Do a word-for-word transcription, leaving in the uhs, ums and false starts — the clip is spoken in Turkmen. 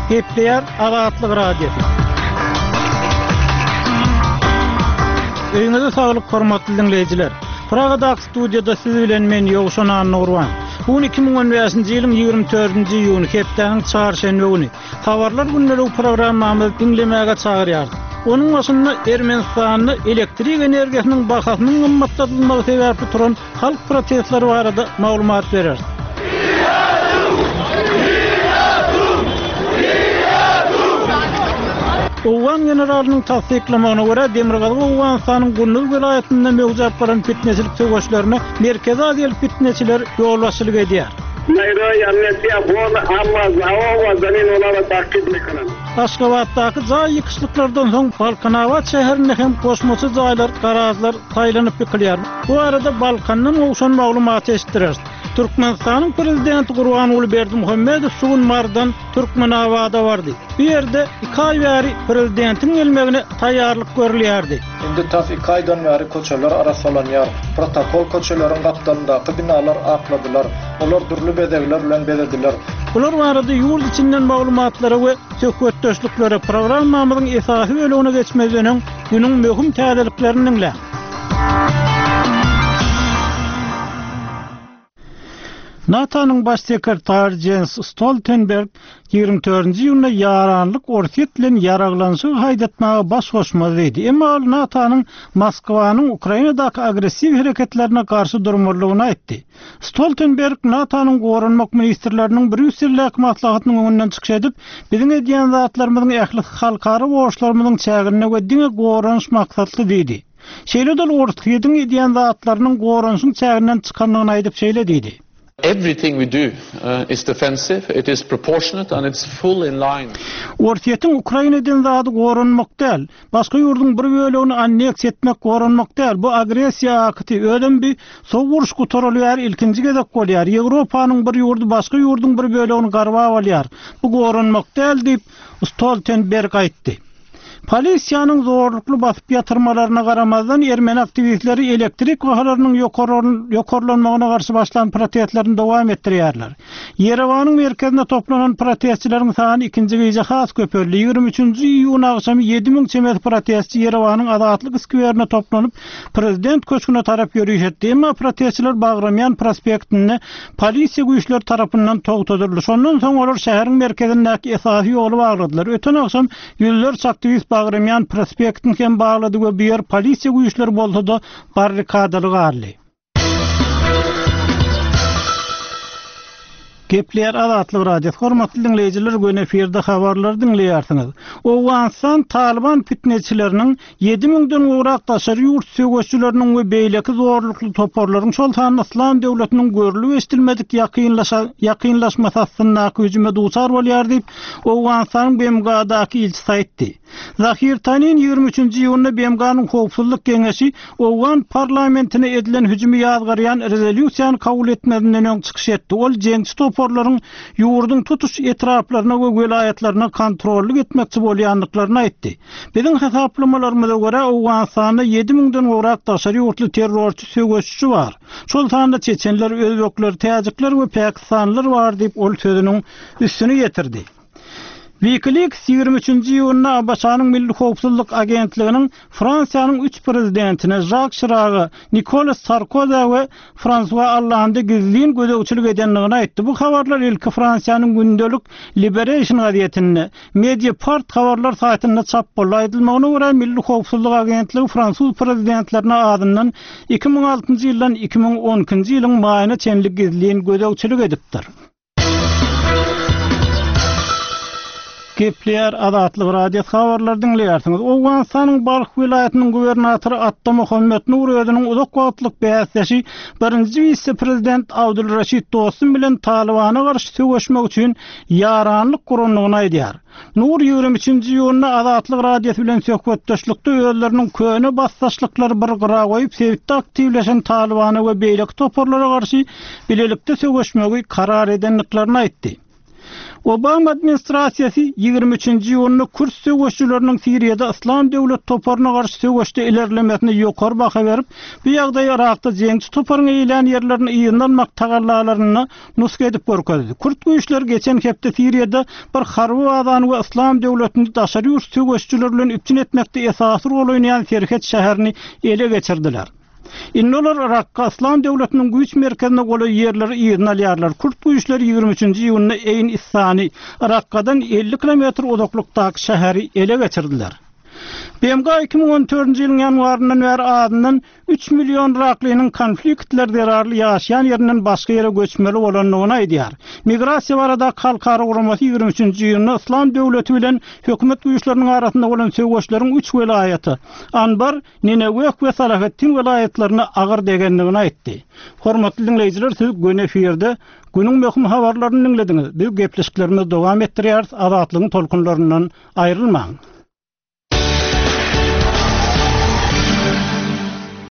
Gepleýär Azatlyk Radiosy. Öýüňize saglyk hormatly diňleýjiler. Pragadaky studiýada siz bilen men Ýowşan Annagurban. Bu gün iki müň on bäşinji ýylyň ýigrimi dördünji iýuny hepdäniň çarşenbe güni. Habarlar gündelik programmamyzy diňlemäge çagyrýarys. Onuň başynda Ermenistanda elektrik energiýasynyň bahasynyň gymmatladylmagy sebäpli turan halk protestleri barada maglumat bereris. Owgan generalynyň tassyklamagyna görä, Demirgazyk Owganystanyň Gunduz welaýatynda möwjäp baran fitneçilik söweşlerine Merkezi Aziýaly fitneçiler ýolbaşçylyk edýär. Aşgabatdaky jaý ýykyşlyklardan soň Balkanabat şäherinde hem goşmaça jaýlar, garažlar saýlanyp ýykylýar. Bu arada Balkandan gowşan maglumaty eşitdireris. Türkmenistanyň prezidenti Gurbanguly Berdimuhamedow şu gün Marydan Türkmenabada bardy. Bu ýerde iki aý bäri prezidentiň gelmegine taýýarlyk görülýärdi. Indi tas iki aýdan bäri köçeler arassalanýar. Protokol köçeleriň gapdalyndaky binalar akladylar. Olar dürli bezegler bilen bezediler. Bular barada ýurt içinden maglumatlara we söhbetdeşliklere programmamyzyň esasy bölümine geçmezden öň günüň möhüm täzeliklerini diňläň. NATO-nyň baş sekretary Jens Stoltenberg ýigrimi dördünji iýunda ýaranlyk Orsýet bilen ýaraglanşygy haýdatmaga baş goşmaz diýdi. Emma ol NATO-nyň Moskwanyň Ukrainadaky agressiw hereketlerine garşy durmalydygyny aýtdy. Stoltenberg NATO-nyň goranmak ministrleriniň Brýusseldäki maslahatynyň öňünden çykyş edip, biziň edýän zatlarymyzyň ähli halkara borçlarymyzyň çäginde we diňe goranyş maksatly diýdi. Şeýle-de ol Orsýetiň edýän zatlarynyň goranyşyň çäginden çykandygyny aýdyp şeýle diýdi. Everything we do, uh, is defensive, it is proportionate and it's full in line. Orsýetiň Ukraina eden zady goranmak däl, başga ýurduň bir bölegini anneksiýa etmek goranmak däl. Bu agressiýa akty, özem bir sowuk uruş gutarylýar, ilkinji gezek bolýar. Ýewropanyň bir ýurdy başga ýurduň bir bölegini garbap alýar. Bu goranmak däl diýip Stoltenberg aýtdy. Polisiýanyň zorlukly basyp ýatyrmalaryna garamazdan ermeni aktiwistleri elektrik bahalarynyň ýokarlanmagyna garşy başlan protestlerini dowam etdirýärler. Ýerewanyň merkezinde toplanan protestçileriň sany ikinji gije has köpeldi. Ýigrimi üçünji iýun agşamy ýedi müň çemesi protestçi Ýerewanyň Azatlyk skwerine toplanyp, prezident köşgüne tarap ýöriş etdi. Emma protestçiler Bagramýan prospektinde polisiýa güýçleri tarapyndan togtadyldy. Şondan soň olar şäheriň merkezindäki esasy ýoly bagladylar. Öten agşam ýüzlerçe aktiwist Bagramýan prospektini hem baglady we bu ýer polisiýa güýçleri bolsa-da barrikadaly galdy. Gepleýär Azatlyk Radiosy. Hormatly diňleýjiler, gün efirde habarlar diňleýärsiňiz. Owganystan Taliban fitneçileriniň ýedi müňden gowrak daşary ýurt söweşçileriniň we beýleki zorlukly toparlaryň, şol sanda Islam döwletiniň görülip eşidilmedik ýakynlaşa-, ýakynlaşmasy astyndaky hüjüme duçar bolýar diýip, Owganystanyň B M G-daky ilçisi aýtdy. Zahir Tanin ýigrimi üçünji iýunda B M G-nyň Howpsuzlyk Geňeşi Owgan parlamentine edilen hüjümi ýazgarýan rezolýusiýany kabul etmezinden öň çykyş etdi. Ol jeňçi toparlaryň ýurduň tutuş etraplaryna we welaýatlaryna kontrollyk etmekçi bolýandyklaryny aýtdy. Biziň hasaplamalarymyza görä Owganystanda ýedi müňden gowrak daşary ýurtly terrorçy söweşçi bar. Şol sanda Çeçenler, Özbekler, Täjikler we Pakistanlylar bar diýip ol sözüniň üstüni ýetirdi. WikiLeaks ýigrimi üçünji iýunda A B Ş-nyň Milli Howpsuzlyk Agentliginiň Fransiýanyň üç prezidentine Jacques Chirac, Nicolas Sarkozy we François Hollande gizlin gözegçilik edendigini aýtdy. Bu habarlar ilki Fransiýanyň gündelik Liberation gazetinde, Mediapart habarlar saýtynda çap boldy. Aýdylmagyna görä Milli Howpsuzlyk Agentligi fransuz prezidentlerine adyndan iki müň altynjy ýyldan iki müň on ikinji ýylyň maýyna çenli gizlin gözegçilik edipdir. Gepleýär Azatlyk Radiosy habarlar diňleýärsiňiz. Owganystanyň Balh welaýatynyň gubernatory Atta Muhammed Nur özüniň uzak wagtlyk bäsdeşi birinji wise-prezident Abdulraşid Dostum bilen Talibana garşy söweşmek üçin ýaranlyk gurandygyny aýdýar. Nur ýigrimi üçünji iýunda Azatlyk Radiosy bilen söhbetdeşlikde özleriniň köne basdaşlyklary bir gyra goýup sebitde aktiwleşen Talibana we beýleki toparlara garşy bilelikde söweşmegi karar edendiklerini aýtdy. Obama administrasiýasy ýigrimi üçünji iýunda kürt söweşçileriniň Siriýada Yslam döwlet toparyna garşy söweşde ilerlemesine ýokary baha berip, bu ýagdaýy Yrakda jeňçi toparyň eýelän ýerlerini yzyna almak tagallalarynda nusga edip görkezdi. Kürt güýçleri geçen hepde Siriýada bir harby bazany we Yslam döwletini daşary ýurt söweşçileri bilen üpjün etmekde esasy rol oýnaýan serhet şäherini ele geçirdiler. Indi olar Rakka Yslam döwletiniň güýç merkezine golaý ýerleri yzyna alýarlar. Kürt güýçleri ýigrimi üçünji iýunda Eýn Issany, Rakkadan elli kilometr uzaklykdaky şäheri ele geçirdiler. B M G iki müň on dördünji ýylyň ýanwaryndan bäri azyndan üç million yraklynyň konfliktler zerarly ýaşaýan ýerinden başga ýere göçmeli bolandygyny aýdýar. Migrasiýa baradaky halkara guramasy ýigrimi üçünji iýunda Yslam döwleti bilen hökümet güýçleriniň arasynda bolan söweşleriň üç welaýaty Anbar, Nineweh we Salahattin welaýatlaryna agyr degendigini aýtdy. Hormatly dinleýjiler, siz göni efirde günüň möhüm habarlaryny dinlediňiz. Biz gepleşiklerimizi dowam etdirýäris. Azatlygyň tolkunlaryndan aýrylmaň.